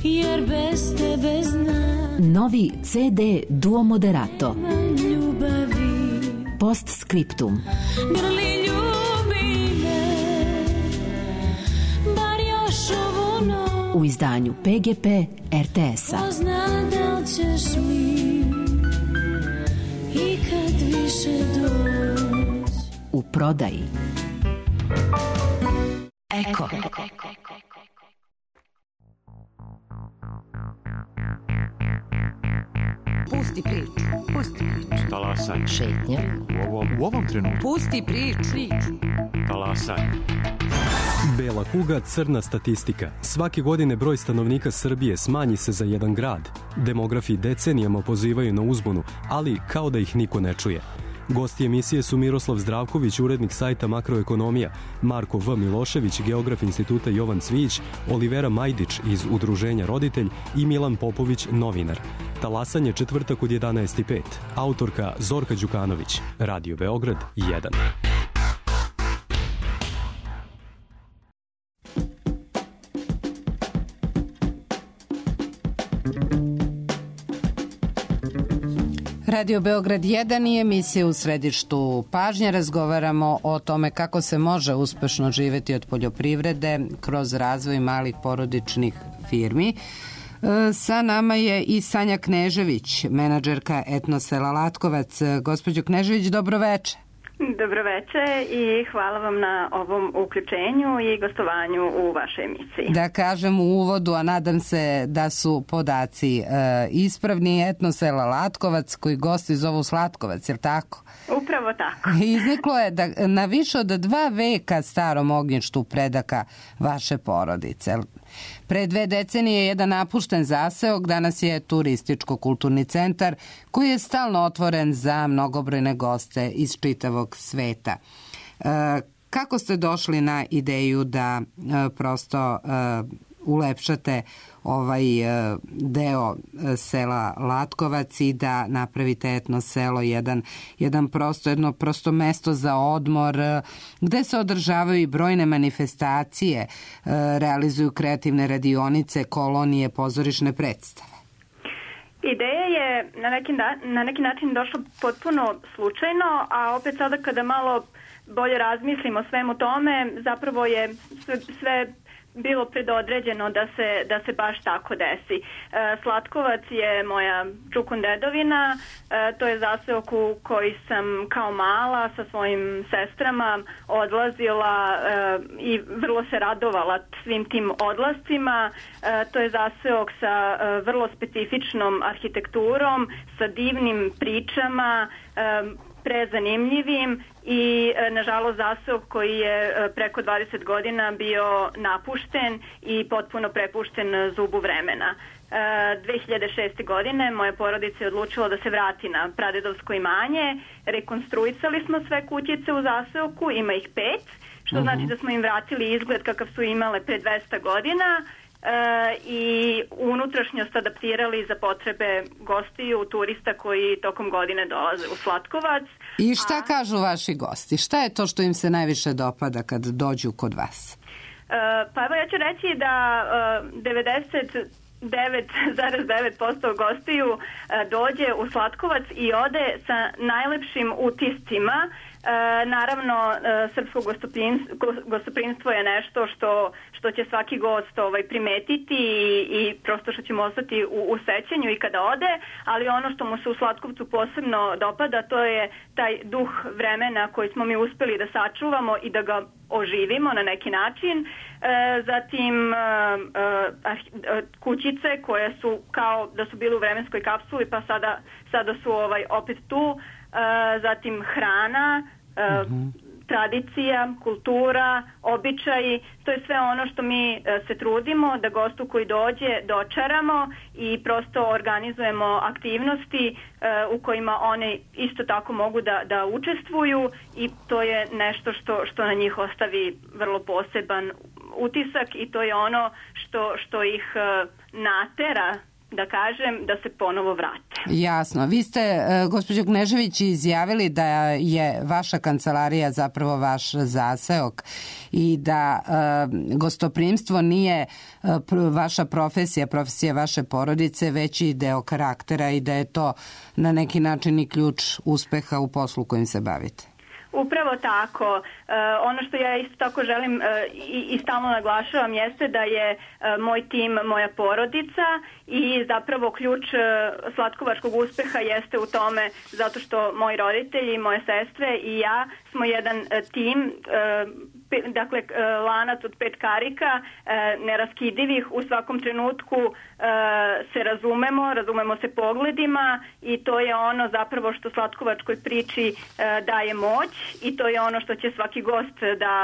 jer bez tebe znam. Novi CD Duo Moderato. Ljubavi. Postscriptum. Grli ljubi me, bar još ovu noć. U izdanju PGP RTS-a. Pozna da li ćeš mi ikad više doć. U prodaji. Eko. Pusti priču. Talasanje. Šetnja. U ovom trenutku. Pusti priču. Talasanje. Bela kuga, crna statistika. Svake godine broj stanovnika Srbije smanji se za jedan grad. Demografi decenijama pozivaju na uzbunu, ali kao da ih niko ne čuje. Gosti emisije su Miroslav Zdravković, urednik sajta Makroekonomija, Marko V. Milošević, geograf instituta Jovan Cvijić, Olivera Majdić iz Udruženja Roditelj i Milan Popović, novinar. Talasanje četvrtak od 11:05. Autorka Zorka Đukanović. Radio Beograd 1. Radio Beograd 1 i emisije u središtu pažnje. Razgovaramo o tome kako se može uspešno živeti od poljoprivrede kroz razvoj malih porodičnih firmi. Sa nama je i Sanja Knežević, menadžerka etno sela Latkovac. Gospođo Knežević, dobro veče. Dobro veče i hvala vam na ovom uključenju i gostovanju u vašoj emisiji. Da kažem u uvodu, a nadam se da su podaci ispravni, etno sela Latkovac koji gosti zovu Slatkovac, je li tako? Upravo tako. Izniklo je da na više od 2 veka starom ognjištu predaka vaše porodice. Pre 2 decenije jedan napušten zaseok, danas je turističko-kulturni centar koji je stalno otvoren za mnogobrojne goste iz čitavog sveta. Kako ste došli na ideju da prosto ulepšate ovaj deo sela Latkovac i da napravite etno selo, jedno prosto mesto za odmor gde se održavaju i brojne manifestacije, realizuju kreativne radionice, kolonije, pozorišne predstave? Ideja je na neki način došla potpuno slučajno, a opet sada kada malo bolje razmislimo o svemu tome, zapravo je sve bilo predodređeno da se baš tako desi. Slatkovac je moja čukundedovina, to je zaseok u koji sam kao mala sa svojim sestrama odlazila i vrlo se radovala svim tim odlascima. To je zaseok sa vrlo specifičnom arhitekturom, sa divnim pričama, prezanimljivim i nažalost zaseok koji je preko 20 godina bio napušten i potpuno prepušten zubu vremena. 2006. godine moja porodica je odlučila da se vrati na pradedovsko imanje. Rekonstruisali smo sve kućice u zaseoku, ima ih 5, što znači da smo im vratili izgled kakav su imale pre 200 godina i unutrašnjost adaptirali za potrebe gostiju, turista koji tokom godine dolaze u Slatkovac. I šta kažu vaši gosti? Šta je to što im se najviše dopada kad dođu kod vas? Pa evo ja ću reći da 99,9% gostiju dođe u Slatkovac i ode sa najlepšim utiscima. Naravno, srpsko gostoprimstvo je nešto što će svaki gost primetiti i prosto što će mu ostati u sećanju i kada ode, ali ono što mu se u Slatkovcu posebno dopada, to je taj duh vremena koji smo mi uspeli da sačuvamo i da ga oživimo na neki način. Zatim kućice koje su kao da su bile u vremenskoj kapsuli pa sada su opet tu. Zatim hrana, tradicija, kultura, običaji, to je sve ono što mi se trudimo da gostu koji dođe dočaramo i prosto organizujemo aktivnosti u kojima one isto tako mogu da učestvuju i to je nešto što na njih ostavi vrlo poseban utisak i to je ono što ih natera, da kažem, da se ponovo vrate. Jasno. Vi ste, gospođo Knežević, izjavili da je vaša kancelarija zapravo vaš zaseok i da gostoprimstvo nije vaša profesija vaše porodice, već i deo karaktera i da je to na neki način i ključ uspeha u poslu kojim se bavite. Upravo tako. Ono što ja isto tako želim i stalno naglašavam jeste da je moj tim moja porodica i zapravo ključ slatkovačkog uspeha jeste u tome zato što moji roditelji, moje sestre i ja smo jedan tim, dakle lanac od 5 karika, neraskidivih, u svakom trenutku se razumemo se pogledima i to je ono zapravo što slatkovačkoj priči daje moć i to je ono što će svaki gost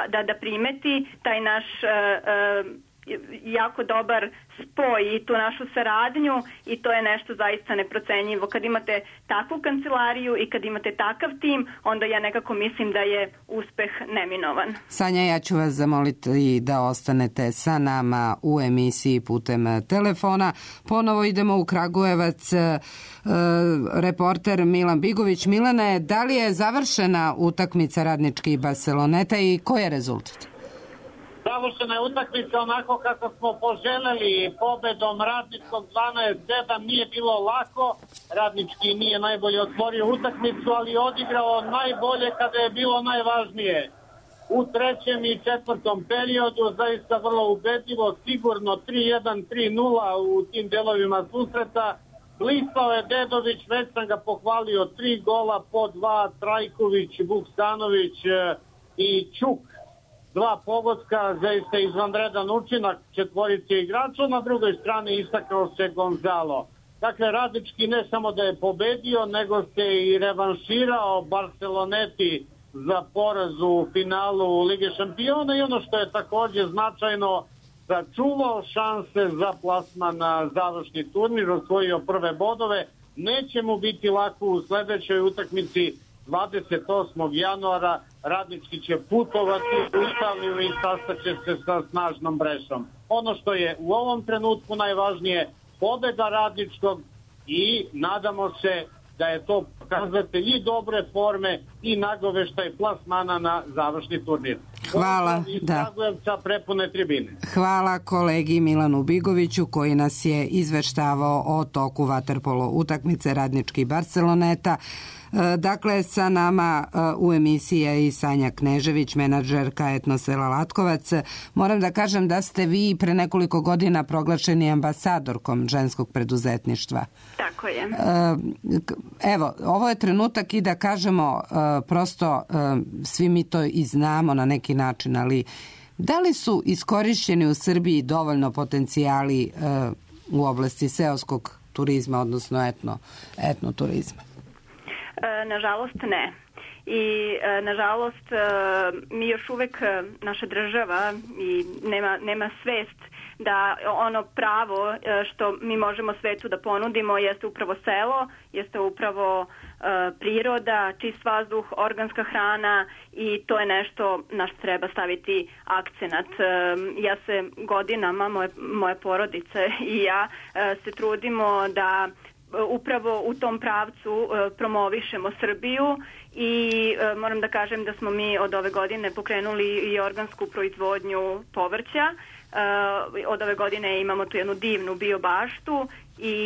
da primeti, taj naš jako dobar spoj i tu našu saradnju i to je nešto zaista neprocenjivo. Kad imate takvu kancelariju i kad imate takav tim, onda ja nekako mislim da je uspeh neminovan. Sanja, ja ću vas zamoliti da ostanete sa nama u emisiji putem telefona. Ponovo idemo u Kragujevac. Reporter Milan Bigović. Milane, da li je završena utakmica Radnički i Barceloneta i koji je rezultat? Završena je utakmica onako kako smo poželjeli, pobedom Radničkog 12-7, nije bilo lako, Radnički nije najbolje otvorio utakmicu, ali odigrao najbolje kada je bilo najvažnije. U trećem i četvrtom periodu zaista vrlo ubedljivo, sigurno 3-1, 3-0 u tim delovima susreta. Blistao je Dedović, već sam ga pohvalio, 3 gola po 2, Trajković, Vuksanović i Ćuk. 2 pogotka, zaista izvanredan učinak četvorice igrača, na drugoj strani istakao se Gonzalo. Dakle, Radnički ne samo da je pobedio, nego se i revanširao Barceloneti za poraz u finalu Lige šampiona i ono što je također značajno, sačuvao šanse za plasman na završni turnir, osvojio prve bodove. Neće mu biti lako u sledećoj utakmici 28. januara. Radnički će putovati u Italiju i sastaće se sa snažnom Brešom. Ono što je u ovom trenutku najvažnije, pobeda Radničkog i nadamo se da je to pokazatelj i dobre forme i nagoveštaj plasmana na završni turnir. Hvala, da. Prepune tribine. Hvala kolegi Milanu Bigoviću koji nas je izveštavao o toku vaterpolo utakmice Radnički Barceloneta. Dakle, sa nama u emisiji je i Sanja Knežević, menadžerka Etnosela Latkovac. Moram da kažem da ste vi pre nekoliko godina proglašeni ambasadorkom ženskog preduzetništva. Tako je. Evo, ovo je trenutak i da kažemo prosto, svi mi to i znamo na neki način, ali da li su iskorišćeni u Srbiji dovoljno potencijali u oblasti seoskog turizma, odnosno etnoturizma? Nažalost ne. I nažalost mi još uvek, naša država i nema svest da ono pravo što mi možemo svetu da ponudimo jeste upravo selo, jeste upravo priroda, čist vazduh, organska hrana i to je nešto na što treba staviti akcenat. Ja se godinama, moje porodice i ja se trudimo da upravo u tom pravcu promovišemo Srbiju i moram da kažem da smo mi od ove godine pokrenuli i organsku proizvodnju povrća. Od ove godine imamo tu jednu divnu biobaštu i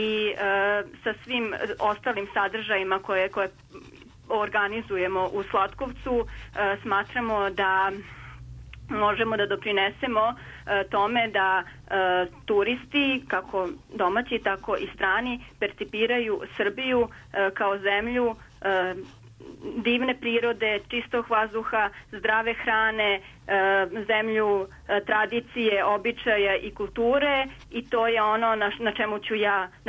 sa svim ostalim sadržajima koje organizujemo u Slatkovcu smatramo da možemo da doprinesemo tome da turisti, kako domaći, tako i strani, percipiraju Srbiju kao zemlju divne prirode, čistog vazduha, zdrave hrane, zemlju tradicije, običaja i kulture i to je ono na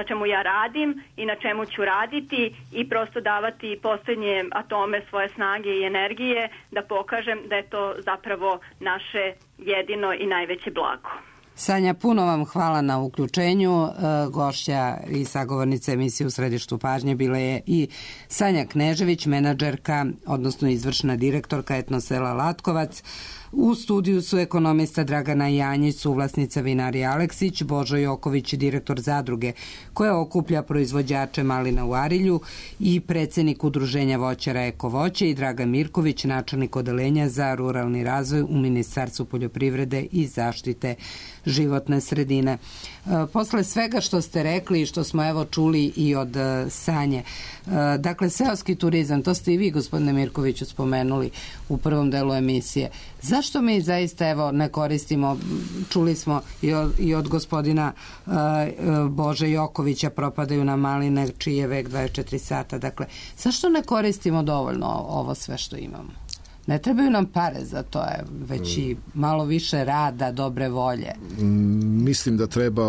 čemu ja radim i na čemu ću raditi i prosto davati poslednje atome svoje snage i energije da pokažem da je to zapravo naše jedino i najveće blago. Sanja, puno vam hvala na uključenju. Gošća i sagovornica emisije U središtu pažnje bila je i Sanja Knežević, menadžerka, odnosno izvršna direktorka Etnosela Latkovac. U studiju su ekonomista Dragana Janjić, suvlasnica vinarije Aleksić, Božo Joković, direktor zadruge koja okuplja proizvođače malina u Arilju i predsednik udruženja voćara Eko voće i Dragan Mirković, načelnik odeljenja za ruralni razvoj u Ministarstvu poljoprivrede i zaštite životne sredine. Posle svega što ste rekli i što smo evo čuli i od Sanje, dakle seoski turizam, to ste i vi gospodine Mirkoviću spomenuli u prvom delu emisije. Zašto mi zaista evo ne koristimo, čuli smo i od gospodina Bože Jokovića, propadaju nam maline čiji je vek 24 sata, dakle zašto ne koristimo dovoljno ovo sve što imamo? Ne trebaju nam pare za to, već i malo više rada, dobre volje. Mislim da treba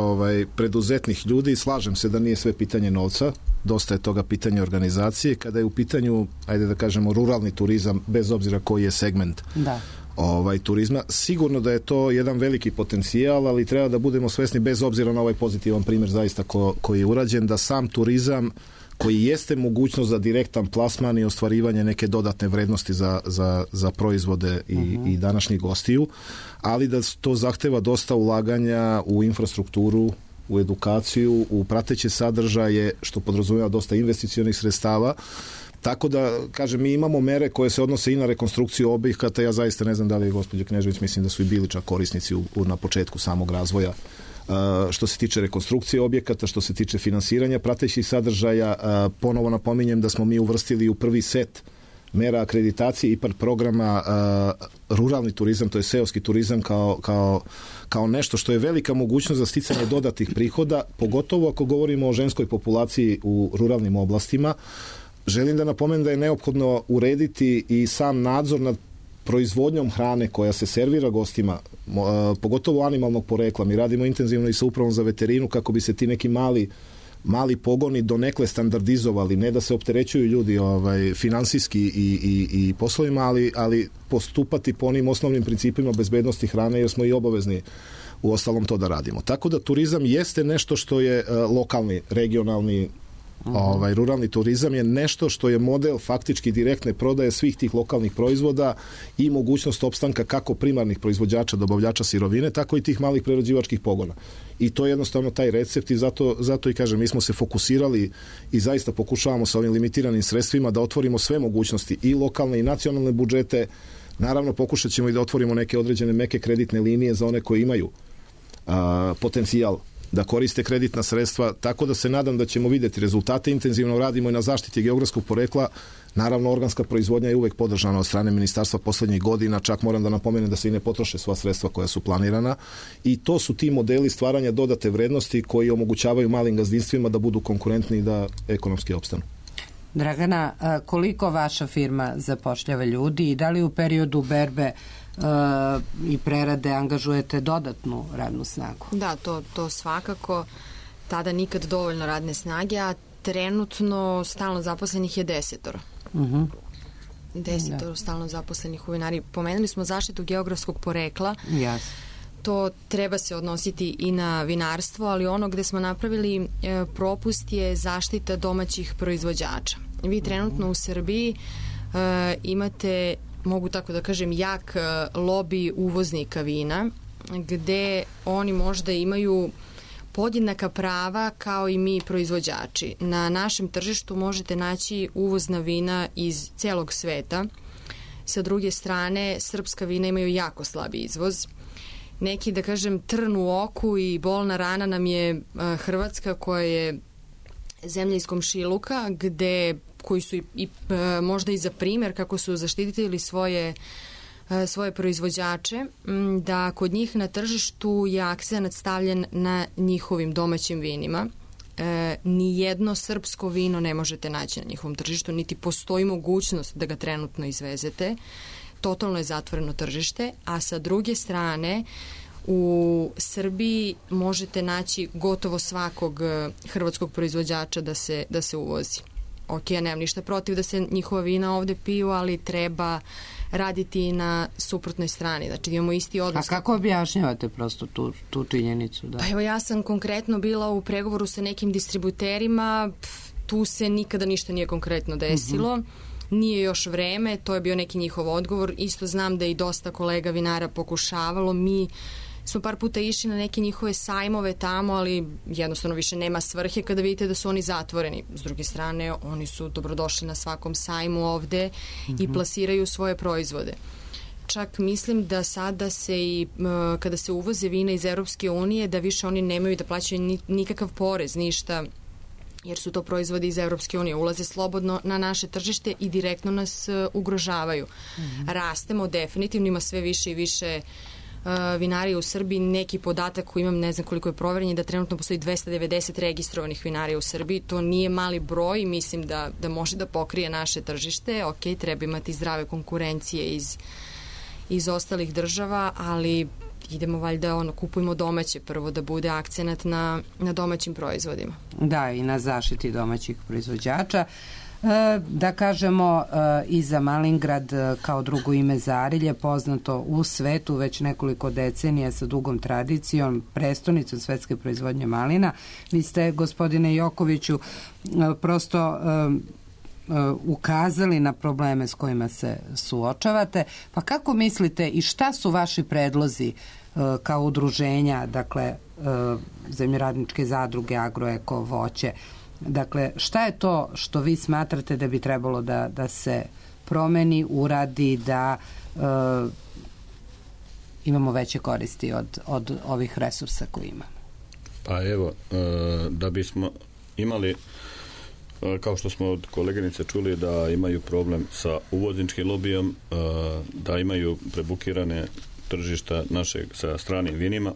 preduzetnih ljudi i slažem se da nije sve pitanje novca, dosta je toga pitanje organizacije. Kada je u pitanju, ajde da kažemo, ruralni turizam, bez obzira koji je segment turizma, sigurno da je to jedan veliki potencijal, ali treba da budemo svesni, bez obzira na ovaj pozitivan primjer zaista koji je urađen, da sam turizam koji jeste mogućnost za direktan plasman i ostvarivanje neke dodatne vrednosti za proizvode i današnjih gostiju, ali da to zahteva dosta ulaganja u infrastrukturu, u edukaciju, u prateće sadržaje, što podrazumijeva dosta investicionih sredstava. Tako da, kažem, mi imamo mere koje se odnose i na rekonstrukciju objekata. Ja zaista ne znam da li je gospođa Knežević, mislim da su i bili čak korisnici na početku samog razvoja. Što se tiče rekonstrukcije objekata, što se tiče finansiranja pratećih sadržaja, ponovo napominjem da smo mi uvrstili u prvi set mera akreditacije IPARD programa ruralni turizam, to je seoski turizam kao nešto što je velika mogućnost za sticanje dodatnih prihoda, pogotovo ako govorimo o ženskoj populaciji u ruralnim oblastima. Želim da napomenem da je neophodno urediti i sam nadzor nad proizvodnjom hrane koja se servira gostima, pogotovo animalnog porekla. Mi radimo intenzivno i sa upravom za veterinu kako bi se ti neki mali pogoni donekle standardizovali, ne da se opterećuju ljudi finansijski i poslovima, ali postupati po onim osnovnim principima bezbednosti hrane, jer smo i obavezni u ostalom to da radimo. Tako da turizam jeste nešto što je lokalni, regionalni, ruralni turizam je nešto što je model faktički direktne prodaje svih tih lokalnih proizvoda i mogućnost opstanka kako primarnih proizvođača, dobavljača sirovine, tako i tih malih prerađivačkih pogona. I to je jednostavno taj recept i zato i kažem, mi smo se fokusirali i zaista pokušavamo sa ovim limitiranim sredstvima da otvorimo sve mogućnosti i lokalne i nacionalne budžete. Naravno, pokušat ćemo i da otvorimo neke određene meke kreditne linije za one koji imaju potencijal da koriste kreditna sredstva, tako da se nadam da ćemo vidjeti rezultate. Intenzivno radimo i na zaštiti geografskog porekla. Naravno, organska proizvodnja je uvek podržana od strane ministarstva poslednjih godina, čak moram da napomenem da se i ne potroše sva sredstva koja su planirana i to su ti modeli stvaranja dodate vrednosti koji omogućavaju malim gazdinstvima da budu konkurentni i da ekonomski opstanu. Dragana, koliko vaša firma zapošljava ljudi i da li u periodu berbe i prerade angažujete dodatnu radnu snagu? Da, to svakako. Tada nikad dovoljno radne snage, a Trenutno stalno zaposlenih je 10. 10 Da. stalno zaposlenih u vinari. Pomenuli smo zaštitu geografskog porekla. Jasno. To treba se odnositi i na vinarstvo, ali ono gde smo napravili propust je zaštita domaćih proizvođača. Vi trenutno u Srbiji imate, mogu tako da kažem, jak lobi uvoznika vina, gde oni možda imaju podjednaka prava kao i mi proizvođači. Na našem tržištu možete naći uvozna vina iz celog sveta. Sa druge strane, srpska vina imaju jako slabi izvoz. Neki, da kažem, trn u oku i bolna rana nam je Hrvatska, koja je zemlja iz komšiluka, koji su možda i za primer kako su zaštitili svoje proizvođače, da kod njih na tržištu je akcenat stavljen na njihovim domaćim vinima. Nijedno srpsko vino ne možete naći na njihovom tržištu, niti postoji mogućnost da ga trenutno izvezete. Totalno je zatvoreno tržište, a sa druge strane u Srbiji možete naći gotovo svakog hrvatskog proizvođača da se uvozi. Ok, ja nemam ništa protiv da se njihova vina ovde piju, ali treba raditi i na suprotnoj strani. Znači, imamo isti odnos. A kako objašnjavate prosto tu činjenicu? Da? Pa evo, ja sam konkretno bila u pregovoru sa nekim distributerima, tu se nikada ništa nije konkretno desilo. Nije još vreme, to je bio neki njihov odgovor. Isto znam da i dosta kolega vinara pokušavalo. Mi smo par puta išli na neke njihove sajmove tamo, ali jednostavno više nema svrhe kada vidite da su oni zatvoreni. S druge strane, oni su dobrodošli na svakom sajmu ovde i plasiraju svoje proizvode. Čak mislim da sada se i kada se uvoze vina iz Europske unije, da više oni nemaju da plaćaju nikakav porez, ništa, jer su to proizvodi iz Europske unije, ulaze slobodno na naše tržište i direktno nas ugrožavaju. Rastemo, definitivno ima sve više i više vinarija u Srbiji. Neki podatak koji imam, ne znam koliko je proverenje, da trenutno postoji 290 registrovanih vinarija u Srbiji. To nije mali broj, mislim da može da pokrije naše tržište. Ok, treba imati zdrave konkurencije iz ostalih država, ali idemo valjda, kupujemo domaće prvo, da bude akcenat na domaćim proizvodima. Da, i na zaštiti domaćih proizvođača. Da kažemo, i za Malingrad kao drugo ime za Arilje, poznato u svetu već nekoliko decenija sa dugom tradicijom, prestonicom svetske proizvodnje malina. Vi ste, gospodine Jokoviću, prosto ukazali na probleme s kojima se suočavate. Pa kako mislite i šta su vaši predlozi kao udruženja, dakle, zemljoradničke zadruge, Agroeko, Voće? Dakle, šta je to što vi smatrate da bi trebalo da se promeni, uradi, da imamo veće koristi od ovih resursa koje imamo? Pa evo, da bismo imali, kao što smo od koleginice čuli, da imaju problem sa uvozničkim lobijom, da imaju prebukirane tržišta našeg sa stranim vinima,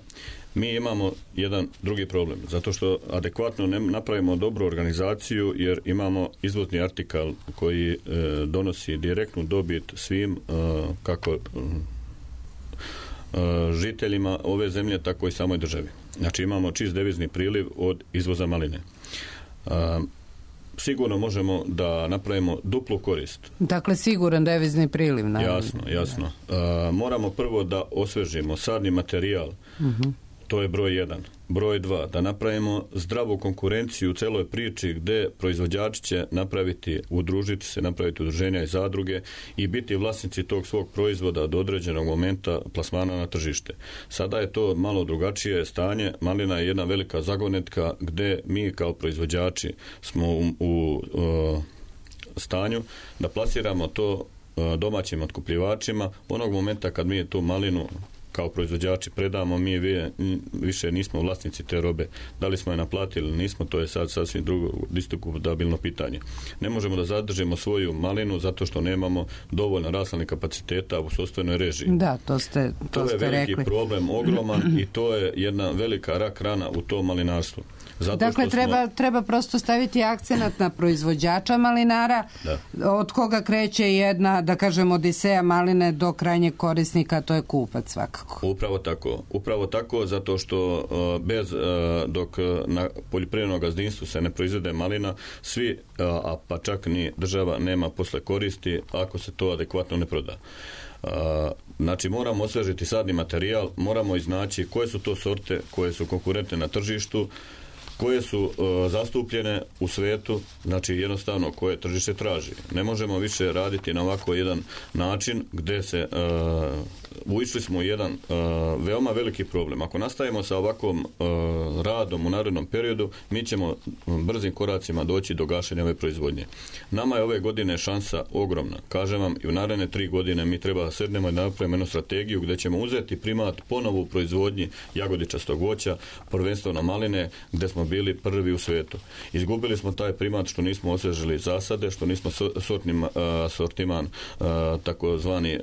mi imamo jedan drugi problem, zato što adekvatno ne napravimo dobru organizaciju, jer imamo izvozni artikal koji donosi direktnu dobit svim, kako žiteljima ove zemlje, tako i samoj državi. Znači imamo čist devizni priliv od izvoza maline. Sigurno možemo da napravimo duplu korist. Dakle, siguran devizni priliv. Jasno, jasno. Moramo prvo da osvežimo sadni materijal. To je broj 1. Broj 2, da napravimo zdravu konkurenciju u celoj priči, gde proizvođači će udružiti se, napraviti udruženja i zadruge i biti vlasnici tog svog proizvoda do određenog momenta plasmana na tržište. Sada je to malo drugačije stanje. Malina je jedna velika zagonetka gde mi kao proizvođači smo u stanju da plasiramo to domaćim otkupljivačima. Onog momenta kad mi tu malinu kao proizvođači predamo, mi više nismo vlasnici te robe. Da li smo je naplatili ili nismo, to je sad sasvim drugo diskutabilno pitanje. Ne možemo da zadržimo svoju malinu zato što nemamo dovoljno rasladnih kapaciteta u sopstvenoj režiji. Da, to je veliki rekli. Problem, ogroman, i to je jedna velika rak rana u tom malinarstvu. Dakle, treba prosto staviti akcenat na proizvođača malinara, od koga kreće jedna, da kažem, odiseja maline do krajnjeg korisnika, to je kupac svakako. Upravo tako, zato što dok na poljoprivrednom gazdinstvu se ne proizvede malina, svi, a pa čak ni država nema posle koristi ako se to adekvatno ne proda. Znači moramo osvežiti sadni materijal, moramo iznaći koje su to sorte koje su konkurentne na tržištu, koje su zastupljene u svetu, znači jednostavno koje tržište traži. Ne možemo više raditi na ovako jedan način gdje se ušli smo u jedan veoma veliki problem. Ako nastavimo sa ovakvom radom u narednom periodu, mi ćemo brzim koracima doći do gašenja ove proizvodnje. Nama je ove godine šansa ogromna. Kažem vam, i u naredne 3 godine mi treba da sednemo i napravimo jednu strategiju gdje ćemo uzeti primat ponovo u proizvodnji jagodičastog voća, prvenstveno maline, gdje smo bili prvi u svetu. Izgubili smo taj primat što nismo osvežili zasade, što nismo sortiman takozvani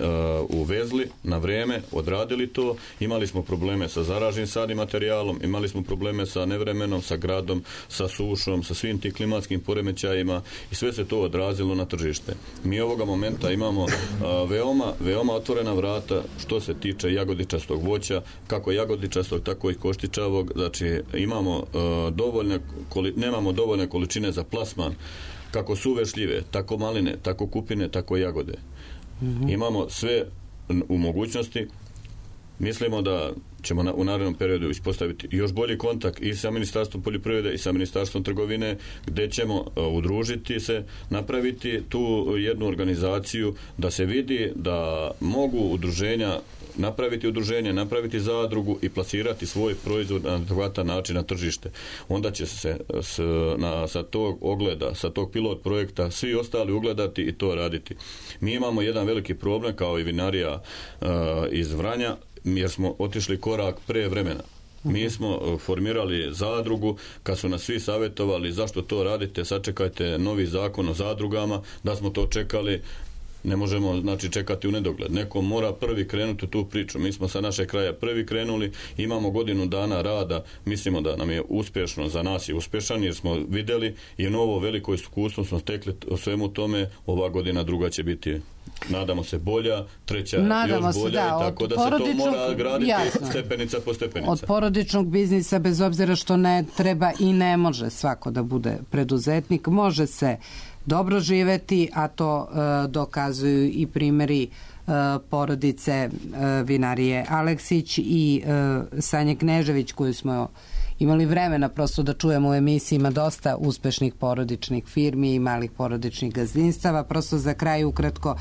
uvezli na vrijeme, odradili to. Imali smo probleme sa zaraženim sadnim materijalom, imali smo probleme sa nevremenom, sa gradom, sa sušom, sa svim tim klimatskim poremećajima i sve se to odrazilo na tržište. Mi ovoga momenta imamo veoma otvorena vrata što se tiče jagodičastog voća, kako jagodičastog, tako i koštičavog. Znači imamo nemamo dovoljne količine za plasman, kako suve šljive, tako maline, tako kupine, tako jagode. Imamo sve u mogućnosti. Mislimo da ćemo u narednom periodu ispostaviti još bolji kontakt i sa Ministarstvom poljoprivrede i sa Ministarstvom trgovine, gdje ćemo udružiti se, napraviti tu jednu organizaciju da se vidi da mogu udruženja napraviti zadrugu i plasirati svoj proizvod na adekvatan način na tržište. Onda će se sa tog ogleda, sa tog pilot projekta svi ostali ugledati i to raditi. Mi imamo jedan veliki problem kao i vinarija iz Vranja, jer smo otišli korak pre vremena. Mi smo formirali zadrugu, kad su nas svi savjetovali zašto to radite, sačekajte novi zakon o zadrugama, da smo to čekali. Ne možemo, znači, čekati u nedogled. Neko mora prvi krenuti u tu priču. Mi smo sa našeg kraja prvi krenuli, imamo godinu dana rada, mislimo da nam je uspješno, za nas je uspješan, jer smo vidjeli i novo veliko iskustvo smo stekli o svemu tome. Ova godina druga će biti, nadamo se, bolja, treća još bolja, i tako da se to mora graditi stepenica po stepenica. Od porodičnog biznisa, bez obzira što ne treba i ne može svako da bude preduzetnik, može se dobro živeti, a to dokazuju i primjeri porodice vinarije Aleksić i Sanje Knežević, koju smo imali vremena prosto da čujemo u emisiji. Ima dosta uspešnih porodičnih firmi i malih porodičnih gazdinstava. Prosto za kraj ukratko,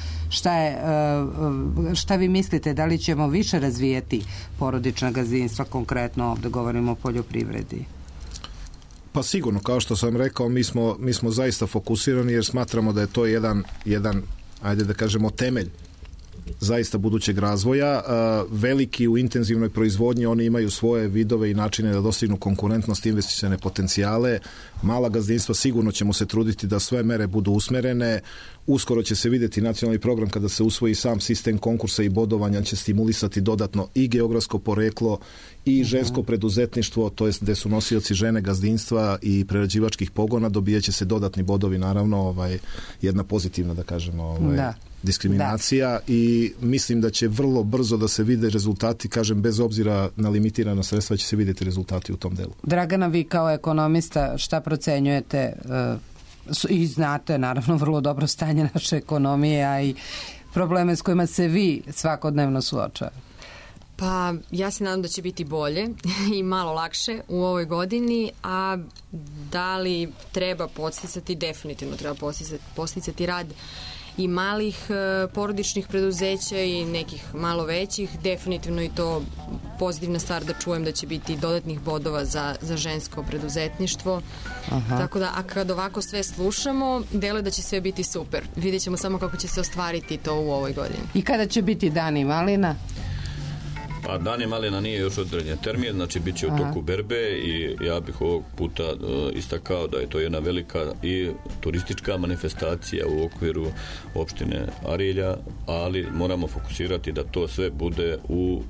šta vi mislite, da li ćemo više razvijeti porodična gazdinstva, konkretno ovdje govorimo o poljoprivredi? Pa sigurno, kao što sam rekao, mi smo zaista fokusirani jer smatramo da je to jedan ajde da kažemo, temelj zaista budućeg razvoja. Veliki u intenzivnoj proizvodnji, oni imaju svoje vidove i načine da dostignu konkurentnost, investicione potencijale. Mala gazdinstva sigurno ćemo se truditi da sve mere budu usmerene. Uskoro će se vidjeti nacionalni program kada se usvoji sam sistem konkursa i bodovanja, će stimulisati dodatno i geografsko poreklo i žensko preduzetništvo, to jest gdje su nosioci žene gazdinstva i prerađivačkih pogona, dobijat će se dodatni bodovi, naravno jedna pozitivna, da kažemo, diskriminacija, i mislim da će vrlo brzo da se vide rezultati, kažem, bez obzira na limitirana sredstva će se vidjeti rezultati u tom delu. Dragana, vi kao ekonomista šta procenjujete i znate naravno vrlo dobro stanje naše ekonomije, a i probleme s kojima se vi svakodnevno suočavate? Pa ja se nadam da će biti bolje i malo lakše u ovoj godini, a da li treba podsticati, definitivno treba podsticati rad i malih porodičnih preduzeća i nekih malo većih, definitivno i to pozitivna stvar da čujem da će biti dodatnih bodova za žensko preduzetništvo. Tako da, a kad ovako sve slušamo, deluje da će sve biti super. Vidjet ćemo samo kako će se ostvariti to u ovoj godini. I kada će biti dani malina? Pa Dani malina nije još određen termin, znači bit će u toku berbe i ja bih ovog puta istakao da je to jedna velika i turistička manifestacija u okviru opštine Arilja, ali moramo fokusirati da to sve bude u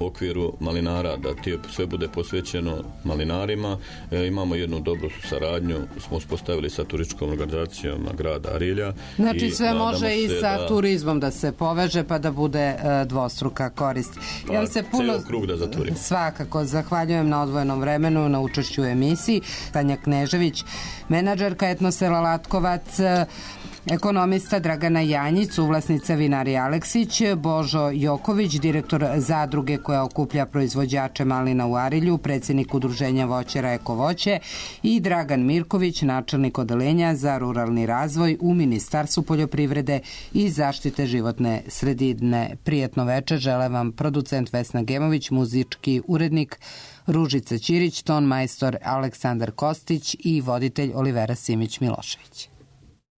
okviru malinara, da sve bude posvećeno malinarima. Imamo jednu dobru saradnju, smo uspostavili sa turističkom organizacijom grada Arilja. Znači sve može i sa turizmom da se poveže pa da bude dvostruka korist. Pa ja se puno krug da zatvorimo. Svakako, zahvaljujem na odvojenom vremenu, na učešću u emisiji. Tanja Knežević, menadžerka etnosela Latkovac, ekonomista Dragana Janjić, suvlasnica vinarije Aleksić, Božo Joković, direktor zadruge koja okuplja proizvođače malina u Arilju, predsjednik udruženja voćara Eko voće i Dragan Mirković, načelnik odeljenja za ruralni razvoj u Ministarstvu poljoprivrede i zaštite životne sredine. Prijetno večer žele vam producent Vesna Gemović, muzički urednik Ružica Ćirić, ton majstor Aleksandar Kostić i voditelj Olivera Simić Milošević.